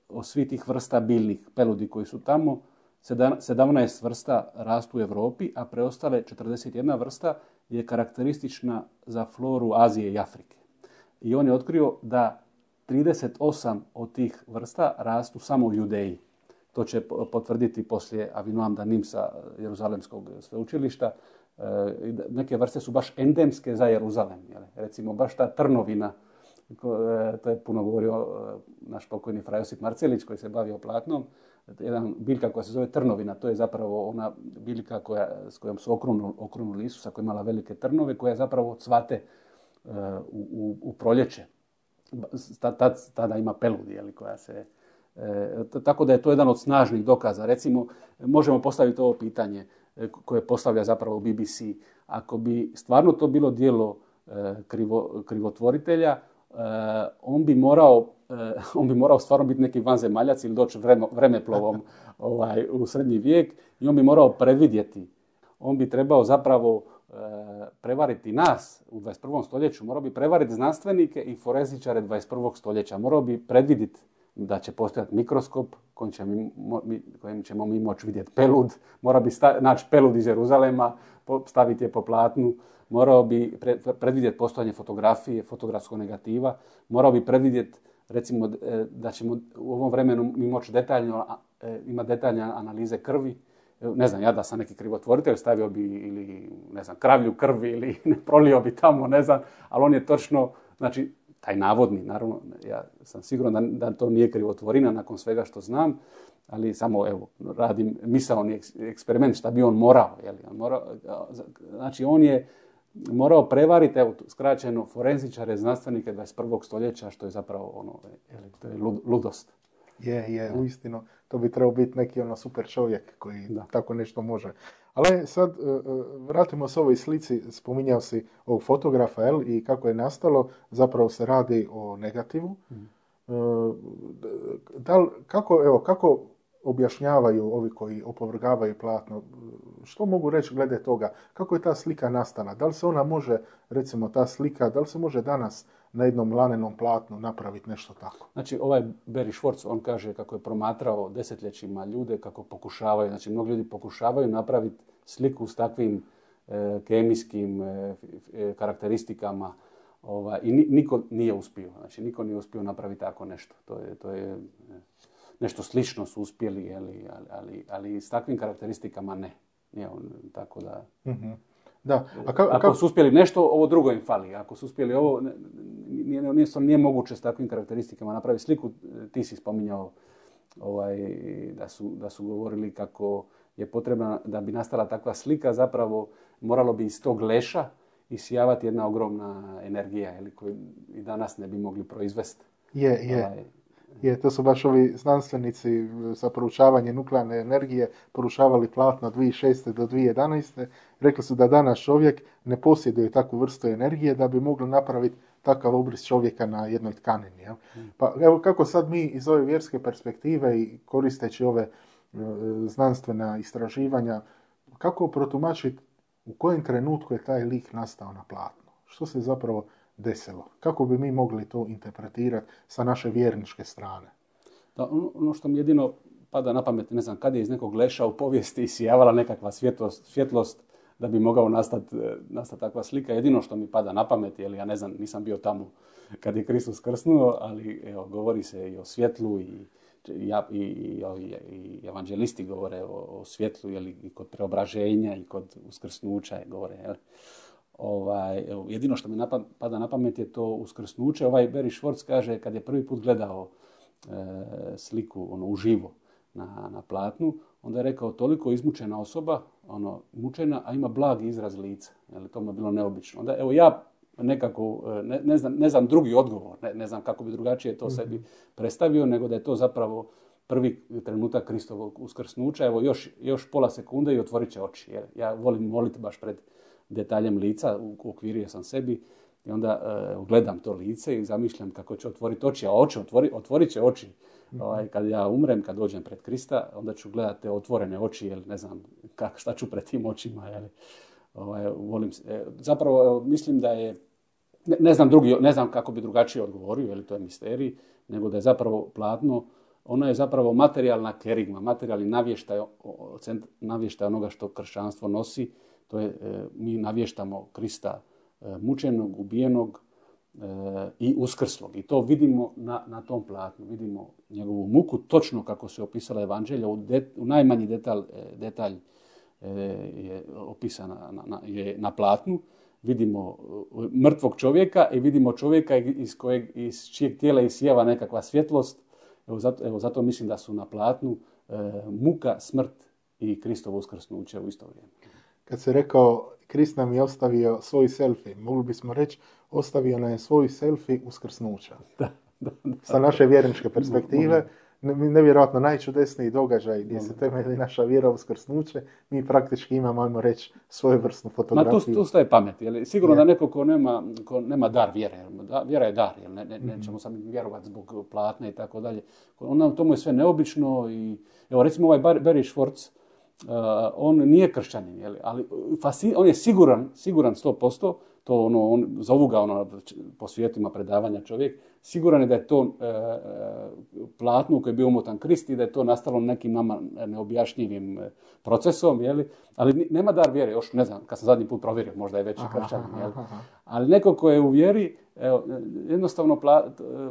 S3: od svih tih vrsta biljnih peludi koji su tamo, 17 vrsta rastu u Europi, a preostale 41 vrsta je karakteristična za floru Azije i Afrike. I on je otkrio da 38 od tih vrsta rastu samo u Judeji. To će potvrditi poslije Avinoam Danim sa Jeruzalemskog sveučilišta. Neke vrste su baš endemske za Jeruzalem. Recimo baš ta trnovina, to je puno govorio naš pokojni fra Josip Marcelić koji se bavio platnom. Jedan biljka koja se zove trnovina, to je zapravo ona biljka s kojom su okrunuli Isusa, koja je imala velike trnove, koja zapravo cvate u proljeće. Tada ima peludi, koja se... Tako da je to jedan od snažnih dokaza. Recimo, možemo postaviti ovo pitanje koje postavlja zapravo BBC. Ako bi stvarno to bilo djelo krivotvoritelja, on bi morao stvarno biti neki vanzemaljac ili doći vremeplovom u srednji vijek i on bi morao predvidjeti. On bi trebao zapravo prevariti nas u 21. stoljeću, morao bi prevariti znanstvenike i forenzičare 21. stoljeća. Morao bi predvidjeti da će postojati mikroskop kojim ćemo mi moći vidjeti pelud. Morao bi naći pelud iz Jeruzalema, staviti je po platnu. Morao bi predvidjeti postojanje fotografije, fotografskog negativa. Morao bi predvidjeti, recimo, da ćemo u ovom vremenu mi moći imati detaljne analize krvi. Ne znam, ja da sam neki krivotvoritelj, stavio bi ili, ne znam, kravlju krvi ili ne prolio bi tamo, ne znam, ali on je točno, znači, taj navodni, naravno, ja sam siguran da to nije krivotvorina nakon svega što znam, ali samo, evo, radim misaoni eksperiment, šta bi on morao, znači, on je morao prevariti, evo, skraćeno, forenzičare, znanstvenike 21. stoljeća, što je zapravo to je ludost.
S2: Je, uistinu. To bi trebao biti neki super čovjek koji tako nešto može. Ali sad, vratimo se ovoj slici, spominjao si ovog fotografa, i kako je nastalo, zapravo se radi o negativu. Kako objašnjavaju ovi koji opovrgavaju platno? Što mogu reći glede toga? Kako je ta slika nastala? Da li se ona može, recimo ta slika, da li se može danas na jednom lanenom platnu napraviti nešto tako?
S3: Znači, ovaj Barry Schwartz, on kaže kako je promatrao desetljećima ljude, kako pokušavaju, znači mnogi ljudi pokušavaju napraviti sliku s takvim kemijskim karakteristikama i niko nije uspio. Znači, niko nije uspio napraviti tako nešto. To je nešto slično su uspjeli, ali s takvim karakteristikama ne. Nije on tako da...
S2: Mm-hmm. Da.
S3: Ako su uspjeli nešto, ovo drugo im fali. Ako su uspjeli ovo, nije moguće s takvim karakteristikama napraviti sliku. Ti si spominjao da su govorili kako je potrebna, da bi nastala takva slika, zapravo moralo bi iz tog leša isijavati jedna ogromna energija, koju i danas ne bi mogli proizvesti.
S2: Je, to su baš ovi znanstvenici za proučavanje nuklearne energije porušavali platno 2006. do 2011. Rekli su da danas čovjek ne posjeduje takvu vrstu energije da bi mogli napraviti takav obris čovjeka na jednoj tkanini. Ja? Pa evo kako sad mi iz ove vjerske perspektive i koristeći ove znanstvena istraživanja, kako protumačiti u kojem trenutku je taj lik nastao na platnu? Što se zapravo desilo? Kako bi mi mogli to interpretirati sa naše vjerničke strane?
S3: Da, ono što mi jedino pada na pamet, ne znam, kad je iz nekog leša u povijesti isijavala nekakva svjetlost da bi mogao nastati takva slika. Jedino što mi pada na pamet, jer ja ne znam, nisam bio tamo kad je Kristus krsnuo, ali evo, govori se i o svjetlu i evanđelisti govore o svjetlu, i kod preobraženja i kod uskrsnuća govore. Evo, jedino što mi pada na pamet je to uskrsnuće. Barry Schwartz kaže, kad je prvi put gledao sliku uživo na platnu, onda je rekao, toliko izmučena osoba, mučena, a ima blagi izraz lica. To mu je bilo neobično. Onda, evo, ja nekako, ne znam drugi odgovor, ne znam kako bi drugačije to sebi predstavio, nego da je to zapravo prvi trenutak Kristovog uskrsnuća. Evo, još pola sekunde i otvorit će oči. Ja volim moliti baš pred detaljem lica, uokvirio sam sebi i onda gledam to lice i zamišljam kako će otvoriti oči, a otvorit će oči. Kad ja umrem, kad dođem pred Krista, onda ću gledati te otvorene oči, jer ne znam šta ću pred tim očima. Volim zapravo mislim da je, ne znam kako bi drugačije odgovorio, to je misterij, nego da je zapravo platno, ono je zapravo materijalna kerigma, materijalni navještaj onoga što kršćanstvo nosi. To je, mi navještamo Krista mučenog, ubijenog i uskrslog. I to vidimo na tom platnu. Vidimo njegovu muku, točno kako se opisala evanđelja, u najmanji detalj je opisana na platnu. Vidimo mrtvog čovjeka i vidimo čovjeka iz čijeg tijela isijava nekakva svjetlost. Zato mislim da su na platnu muka, smrt i Kristovo uskrsnuće u isto vrijeme.
S2: Kad se rekao, Krist nam je ostavio svoj selfie, mogli bismo reći, ostavio nam je svoj selfie uskrsnuća.
S3: Da.
S2: Sa naše vjerničke perspektive, nevjerojatno najčudesniji događaj gdje se temelji naša vjera uskrsnuće, mi praktički imamo, ajmo reći, svojevrsnu fotografiju.
S3: Tu staje pamet. Sigurno da neko ko nema dar vjere, vjera je dar, nećemo sam vjerovati zbog platne i tako dalje. Tomu je sve neobično i evo recimo Barry Schwartz, on nije kršćanin, ali on je siguran 100%, to on zovu ga po svijetima predavanja čovjek, siguran je da je to platno u koje je bio umotan Krist i da je to nastalo nekim nama neobjašnjivim procesom, ali nema dar vjere, još ne znam, kad sam zadnji put provjerio, možda je veći kršćanin, ali neko ko je u vjeri, jednostavno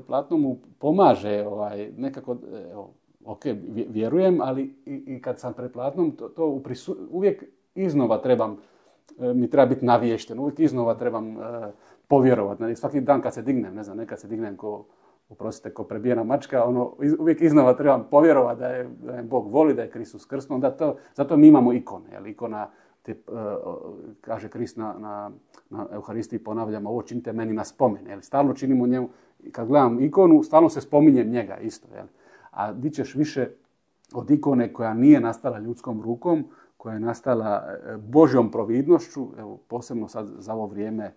S3: platno mu pomaže nekako, ok, vjerujem, ali i kad sam pred platnom, uvijek iznova mi treba biti naviješten, uvijek iznova trebam povjerovati. Svaki dan kad se dignem, ne znam, nekad se dignem ko prebijena mačka, uvijek iznova trebam povjerovati da je Bog voli, da je Kristus krsnuo. Zato mi imamo ikone. Ikona, kaže Krist na Euharistiji, ponavljamo, ovo činite meni na spomen. Stalno činimo njemu, kad gledam ikonu, stalno se spominjem njega isto. A di ćeš više od ikone koja nije nastala ljudskom rukom, koja je nastala Božjom providnošću, evo, posebno sad za ovo vrijeme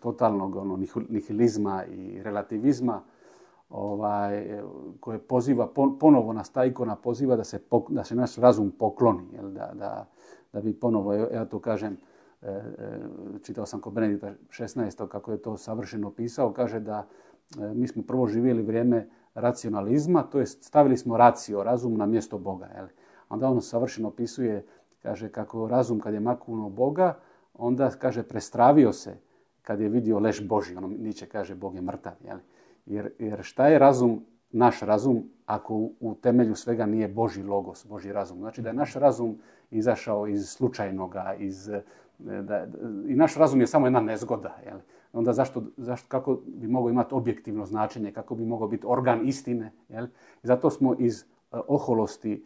S3: totalnog nihilizma i relativizma, koje poziva, ponovo nas ta ikona poziva da se naš razum pokloni, da bi ponovo, ja to kažem, čitao sam kod Benedikta 16. kako je to savršeno pisao, kaže da mi smo prvo živjeli vrijeme racionalizma, to jest stavili smo razum na mjesto Boga. Onda on savršeno opisuje, kaže kako razum kad je maknuo Boga, onda kaže prestravio se kad je vidio leš Božji. Niče kaže Bog je mrtav. Jer šta je razum, naš razum, ako u temelju svega nije Božji logos, Božji razum. Znači da je naš razum izašao iz slučajnoga, i naš razum je samo jedna nezgoda. Onda zašto, kako bi mogao imati objektivno značenje, kako bi mogao biti organ istine. I zato smo iz oholosti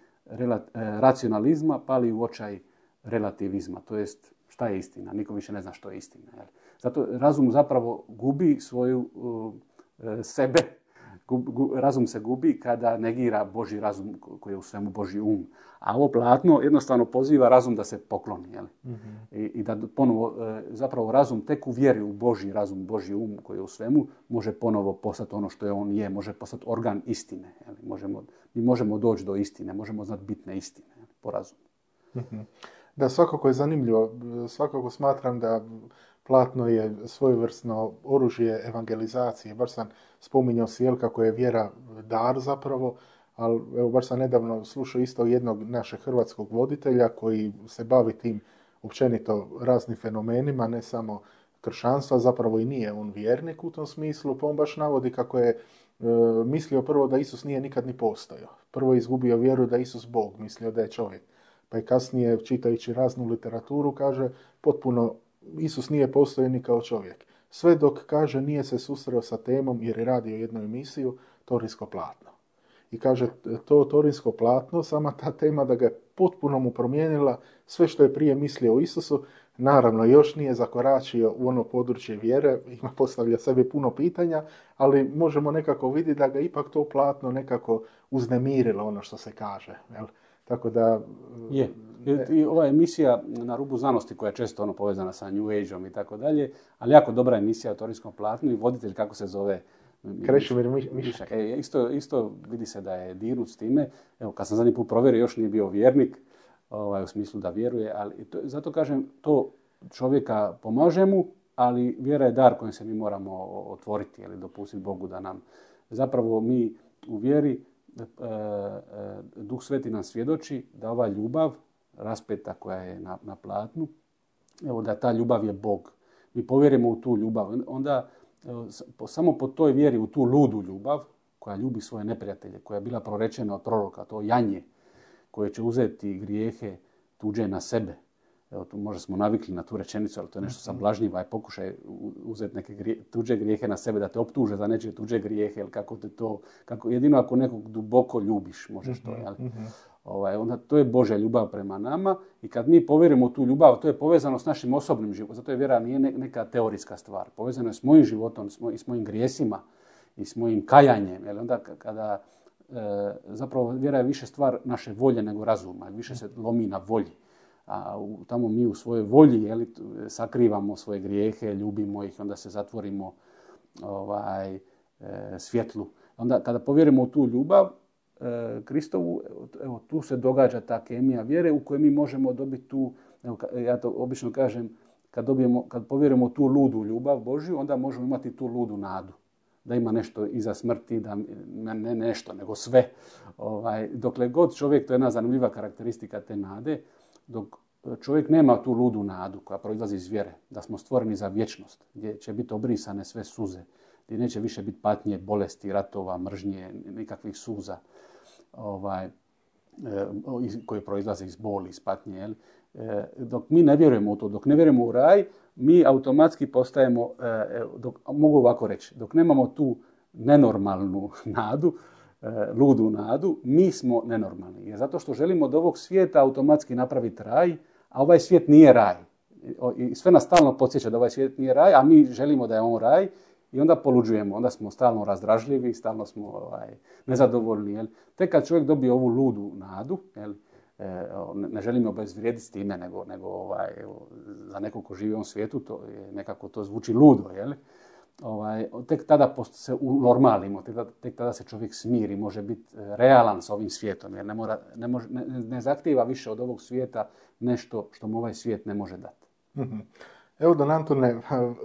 S3: racionalizma pali u očaj relativizma. To jest, šta je istina? Niko više ne zna što je istina. Zato razum zapravo gubi svoju sebe. Razum se gubi kada negira Božji razum koji je u svemu Božji um. A ovo platno jednostavno poziva razum da se pokloni. I da ponovo zapravo razum tek u vjeri u Božji razum, Božji um koji je u svemu, može ponovo postati ono što je on je, može postati organ istine. Mi možemo doći do istine, možemo znati bitne istine po razumu.
S2: Da, svakako je zanimljivo. Svakako smatram da platno je svojevrsno oružje evangelizacije. Baš sam spominjao kako je vjera dar zapravo, ali evo baš sam nedavno slušao isto jednog našeg hrvatskog voditelja koji se bavi tim općenito raznim fenomenima, ne samo kršćanstva, zapravo i nije on vjernik u tom smislu, pa on baš navodi kako je mislio prvo da Isus nije nikad ni postojao. Prvo je izgubio vjeru da je Isus Bog, mislio da je čovjek. Pa i kasnije, čitajući raznu literaturu, kaže potpuno Isus nije postojao ni kao čovjek. Sve dok, kaže, nije se susreo sa temom, jer je radio jednu emisiju, Torinsko platno. I kaže, to Torinsko platno, sama ta tema da ga je potpuno mu promijenila sve što je prije mislio o Isusu. Naravno, još nije zakoračio u ono područje vjere, ima postavlja sebi puno pitanja, ali možemo nekako vidjeti da ga ipak to platno nekako uznemirilo, ono što se kaže. Jel? Tako da...
S3: Je. I ova emisija Na rubu znanosti, koja je često povezana sa New Age-om i tako dalje, ali jako dobra emisija o Torinskom platnu i voditelj, kako se zove,
S2: Krešimir Mišak.
S3: Isto vidi se da je dirnut s time. Evo, kad sam zadnji put provjerio, još nije bio vjernik, u smislu da vjeruje, ali zato kažem, to čovjeka pomaže mu, ali vjera je dar kojim se mi moramo otvoriti ili dopustiti Bogu da nam... Zapravo mi u vjeri, Duh Sveti nam svjedoči da ova ljubav raspeta koja je na platnu, evo da ta ljubav je Bog. Mi povjerimo u tu ljubav. Onda samo po toj vjeri u tu ludu ljubav koja ljubi svoje neprijatelje, koja je bila prorečena od proroka, to janje koje će uzeti grijehe tuđe na sebe. Evo, tu možda smo navikli na tu rečenicu, ali to je nešto sablažnjivo. Aj pokušaj uzeti neke tuđe grijehe na sebe, da te optuže za nečije tuđe grijehe, ili jedino ako nekog duboko ljubiš, možeš to, jel? Onda to je Božja ljubav prema nama i kad mi povjerimo u tu ljubav, to je povezano s našim osobnim životom. Zato je vjera nije neka teorijska stvar. Povezano je s mojim životom i s mojim grijesima i s mojim kajanjem. Jer onda kada zapravo vjera je više stvar naše volje nego razuma. Više se lomi na volji. A tamo mi u svojoj volji sakrivamo svoje grijehe, ljubimo ih, onda se zatvorimo svjetlu. Onda kada povjerimo u tu ljubav Kristovu, evo, tu se događa ta kemija vjere u kojoj mi možemo dobiti tu, evo, ja to obično kažem, kad povjerimo tu ludu ljubav Božju, onda možemo imati tu ludu nadu. Da ima nešto iza smrti, da ne nešto, nego sve. Dokle god čovjek, to je jedna zanimljiva karakteristika te nade, dok čovjek nema tu ludu nadu koja proizlazi iz vjere, da smo stvoreni za vječnost, gdje će biti obrisane sve suze, gdje neće više biti patnje, bolesti, ratova, mržnje, nikakvih suza koje proizlaze iz boli, iz patnje. Dok mi ne vjerujemo u to, dok ne vjerujemo u raj, mi automatski postajemo, mogu ovako reći, dok nemamo tu nenormalnu nadu, ludu nadu, mi smo nenormalni. Jer zato što želimo od ovog svijeta automatski napraviti raj, a ovaj svijet nije raj. I sve nas stalno podsjeća da ovaj svijet nije raj, a mi želimo da je on raj i onda poluđujemo. Onda smo stalno razdražljivi, stalno smo nezadovoljni. Jel? Tek kad čovjek dobije ovu ludu nadu, jel, ne želim obezvrijediti s time, nego za nekog ko živi u ovom svijetu, nekako to zvuči ludo, jel? Tek tada se unormalimo, tek tada se čovjek smiri, može biti realan s ovim svijetom, jer ne zahtijeva više od ovog svijeta nešto što mu ovaj svijet ne može dati.
S2: Evo, Don Antone,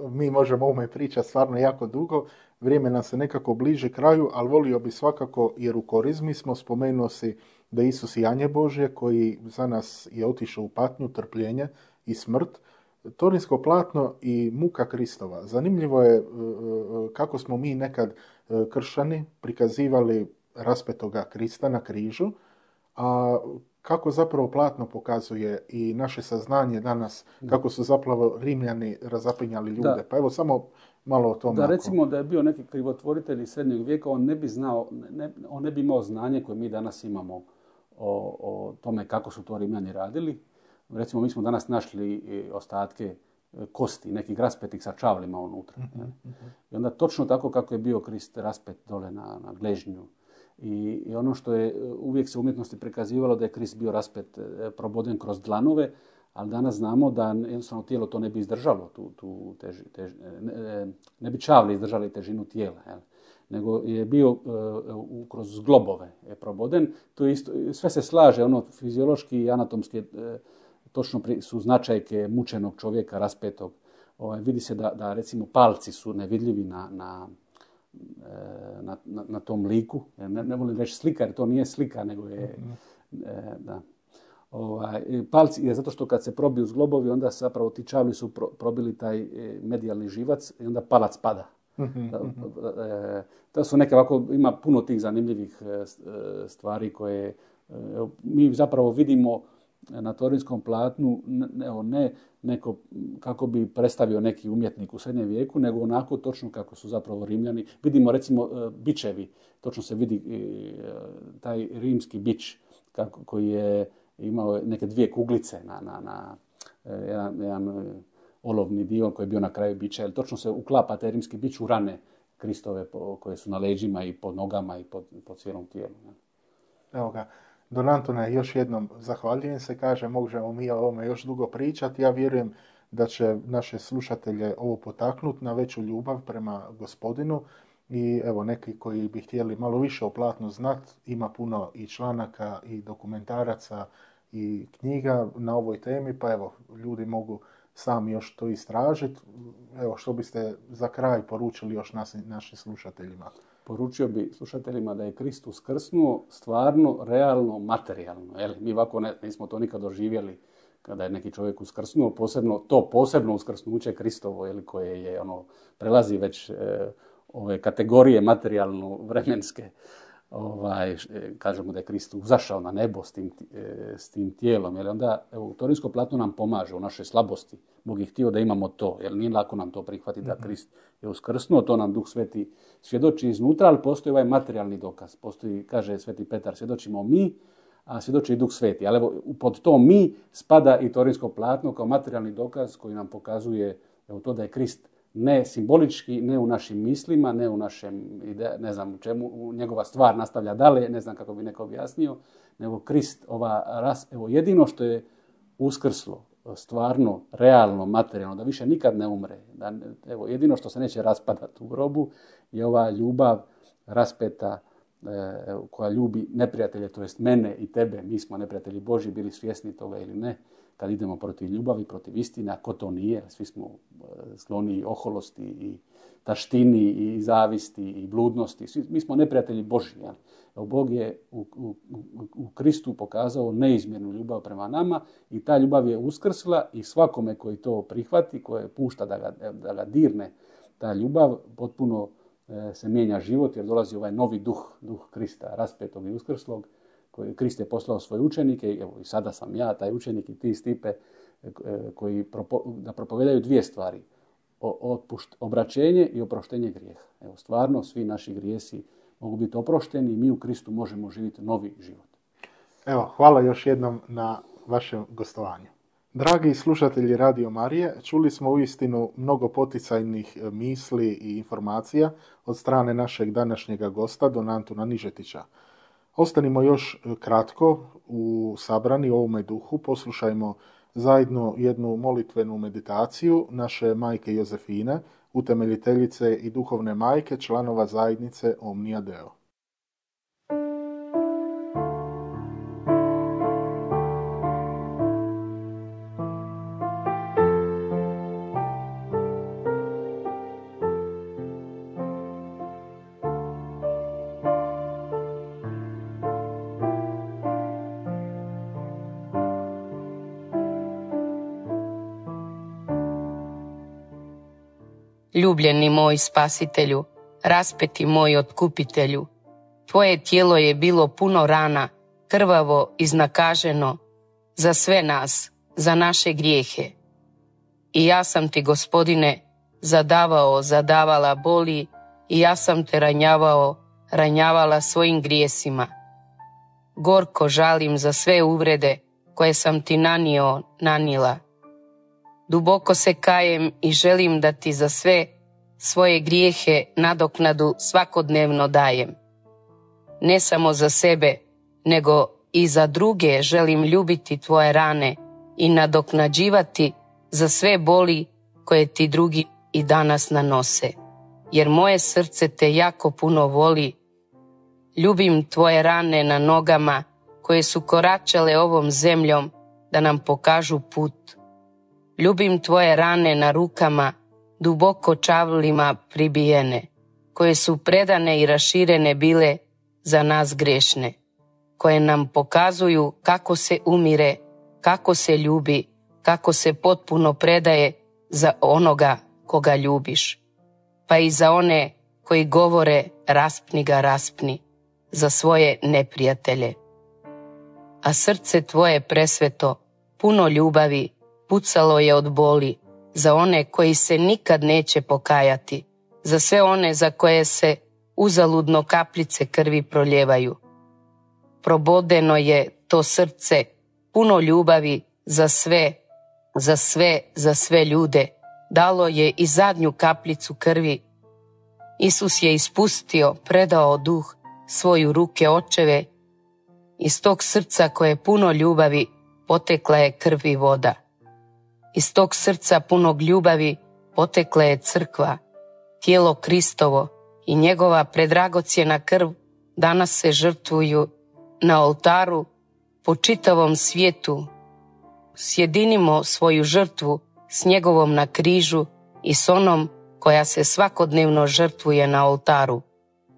S2: mi možemo o ovome pričati stvarno jako dugo, vrijeme nam se nekako bliže kraju, ali volio bi svakako, jer u korizmi smo, spomenuo si da Isus janje Božje koji za nas je otišao u patnju, trpljenje i smrt, Torinsko platno i muka Kristova. Zanimljivo je kako smo mi nekad kršćani prikazivali raspetoga Krista na križu, a kako zapravo platno pokazuje i naše saznanje danas, kako su zapravo Rimljani razapinjali ljude. Da. Pa evo samo malo o tome.
S3: Da, recimo da je bio neki krivotvoritelj iz srednjeg vijeka, on ne bi imao znanje koje mi danas imamo o tome kako su to Rimljani radili. Recimo, mi smo danas našli ostatke kosti, nekih raspetih sa čavlima unutra. I onda točno tako kako je bio Krist raspet dole na gležnju. I ono što je uvijek se u umjetnosti prikazivalo da je Krist bio raspet, proboden kroz dlanove, ali danas znamo da jednostavno tijelo to ne bi izdržalo, ne bi čavli izdržali težinu tijela. Jel? Nego je bio kroz zglobove je proboden. To je isto, sve se slaže, fiziološki i anatomski točno su značajke mučenog čovjeka raspetog. Vidi se da recimo palci su nevidljivi na tom liku. Ne volim reći slika, jer to nije slika, nego je... Da. palci, zato što kad se probiju zglobovi, onda zapravo ti čavli su probili taj medijalni živac i onda palac pada. To su neke ovako, ima puno tih zanimljivih stvari koje mi zapravo vidimo na Torinskom platnu, ne neko kako bi predstavio neki umjetnik u srednjem vijeku, nego onako točno kako su zapravo Rimljani. Vidimo recimo bičevi, točno se vidi taj rimski bič koji je imao neke dvije kuglice na jedan olovni dio koji je bio na kraju biča, jer točno se uklapa taj rimski bič u rane Kristove koje su na leđima i pod nogama i po cijelom tijelu.
S2: Evo ga. Don Antone, još jednom zahvaljujem se, kaže, možemo mi o ovome još dugo pričati. Ja vjerujem da će naše slušatelje ovo potaknuti na veću ljubav prema Gospodinu i evo neki koji bi htjeli malo više o platnu znati, ima puno i članaka i dokumentaraca i knjiga na ovoj temi, pa evo, ljudi mogu sami još to istražiti. Evo, što biste za kraj poručili još našim slušateljima?
S3: Poručio bi slušateljima da je Kristus krsnuo stvarno, realno, materijalno. Mi ovako nismo to nikad doživjeli kada je neki čovjek uskrsnuo, posebno uskrsnuće Kristovo, koje je prelazi već ove kategorije materijalno-vremenske. Kažemo da je Kristus uzašao na nebo s tim tijelom, jer onda Torinsko platno nam pomaže u našoj slabosti. Bog je htio da imamo to, jer nije lako nam to prihvatiti da Krist je uskrsnuo, to nam Duh Sveti svjedoči iznutra, ali postoji ovaj materijalni dokaz. Postoji, kaže Sveti Petar, svjedočimo mi, a svjedoči i Duh Sveti. Ali pod to mi spada i Torinsko platno kao materijalni dokaz koji nam pokazuje to da je Krist ne simbolički, ne u našim mislima, ne u našem, ne znam čemu, njegova stvar nastavlja dalje, ne znam kako bi neko objasnio, nego Krist, jedino što je uskrslo, stvarno, realno, materijalno, da više nikad ne umre, jedino što se neće raspadati u grobu je ova ljubav raspeta koja ljubi neprijatelje, to jest mene i tebe, mi smo neprijatelji Božji, bili svjesni toga ili ne, kad idemo protiv ljubavi, protiv istine, a ko to nije, svi smo skloni oholosti i taštini i zavisti i bludnosti, mi smo neprijatelji Božji. Bog je u Kristu pokazao neizmjernu ljubav prema nama i ta ljubav je uskrsla i svakome koji to prihvati, koje pušta da ga dirne ta ljubav, potpuno se mijenja život jer dolazi ovaj novi duh Krista, raspetog i uskrslog, koji Krist je poslao svoje učenike, i sada sam ja, taj učenik i ti Stipe, koji da propovedaju dvije stvari, obraćenje i oproštenje grijeha. Stvarno, svi naši grijesi mogu biti oprošteni i mi u Kristu možemo živjeti novi život.
S2: Evo, hvala još jednom na vašem gostovanju. Dragi slušatelji Radio Marije, čuli smo uistinu mnogo poticajnih misli i informacija od strane našeg današnjega gosta, Don Antuna Nižetića. Ostanimo još kratko u sabrani u ovome duhu, poslušajmo zajedno jednu molitvenu meditaciju naše majke Jozefine, utemeljiteljice i duhovne majke članova zajednice Omnia Deo.
S4: Ljubljeni moj spasitelju, raspeti moj otkupitelju, tvoje tijelo je bilo puno rana, krvavo iznakaženo, za sve nas, za naše grijehe. I ja sam ti, Gospodine, zadavala boli, i ja sam te ranjavala svojim grijesima. Gorko žalim za sve uvrede koje sam ti nanila. Duboko se kajem i želim da ti za sve svoje grijehe nadoknadu svakodnevno dajem. Ne samo za sebe, nego i za druge želim ljubiti tvoje rane i nadoknađivati za sve boli koje ti drugi i danas nanose. Jer moje srce te jako puno voli. Ljubim tvoje rane na nogama koje su koračale ovom zemljom da nam pokažu put. Ljubim tvoje rane na rukama, duboko čavlima pribijene, koje su predane i raširene bile za nas grešne, koje nam pokazuju kako se umire kako se ljubi, kako se potpuno predaje za onoga koga ljubiš. Pa i za one koji govore raspni ga, raspni, za svoje neprijatelje. A srce tvoje presveto, puno ljubavi, pucalo je od boli, za one koji se nikad neće pokajati, za sve one za koje se uzaludno kapljice krvi proljevaju. Probodeno je to srce, puno ljubavi za sve ljude, dalo je i zadnju kapljicu krvi. Isus je ispustio, predao duh, svoju ruke očeve, iz tog srca koje je puno ljubavi potekla je krv i voda. Iz tog srca punog ljubavi potekla je crkva, tijelo Kristovo i njegova predragocjena krv danas se žrtvuju na oltaru po čitavom svijetu. Sjedinimo svoju žrtvu s njegovom na križu i s onom koja se svakodnevno žrtvuje na oltaru.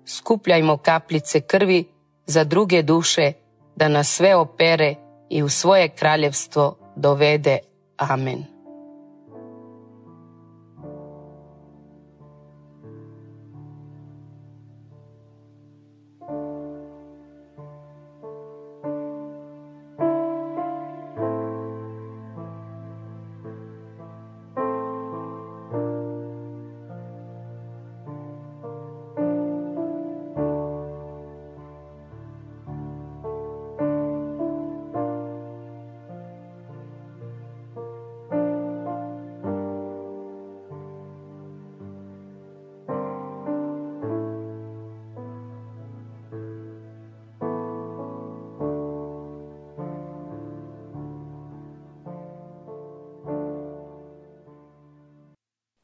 S4: Skupljajmo kapljice krvi za druge duše, da nas sve opere i u svoje kraljevstvo dovede. Amen.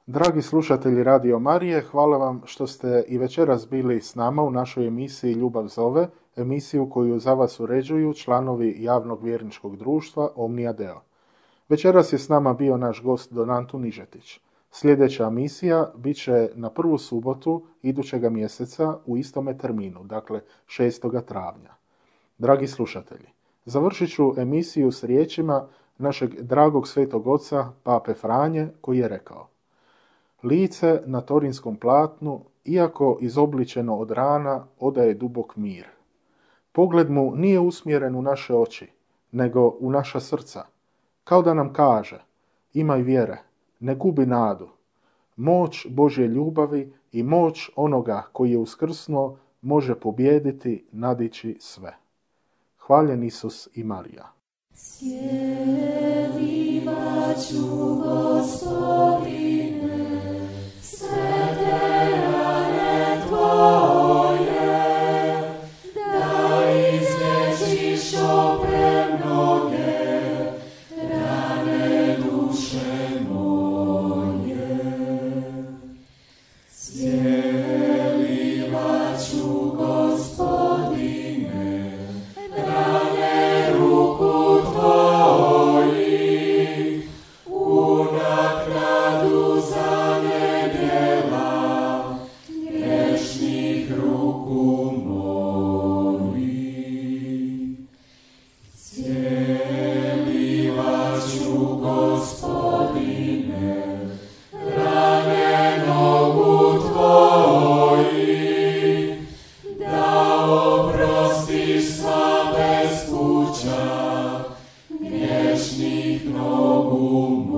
S2: Dragi slušatelji Radio Marije, hvala vam što ste i večeras bili s nama u našoj emisiji Ljubav zove, emisiju koju za vas uređuju članovi javnog vjerničkog društva Omnia Deo. Večeras je s nama bio naš gost Don Antun Nižetić. Sljedeća emisija bit će na prvu subotu idućega mjeseca u istome terminu, dakle 6. travnja. Dragi slušatelji, završit ću emisiju s riječima našeg dragog svetog oca Pape Franje, koji je rekao: lice na torinskom platnu, iako izobličeno od rana, odaje dubok mir. Pogled mu nije usmjeren u naše oči, nego u naša srca, kao da nam kaže: imaj vjere, ne gubi nadu. Moć Božje ljubavi i moć onoga koji je uskrsnuo može pobijediti, nadići sve. Hvaljen Isus i Marija.
S5: Sjelivat ću Gospodine, svete rane Tvoje, da izlečiš premnoge rane duše moje. Sjelivat ću Gospodine, rane ruku Tvojih, u naknadu za nedjela grešnih ruku mojih. Sjelivat ću Gospodine, rane nogu Tvojih, da oprostiš sva bespuća grešnih nogu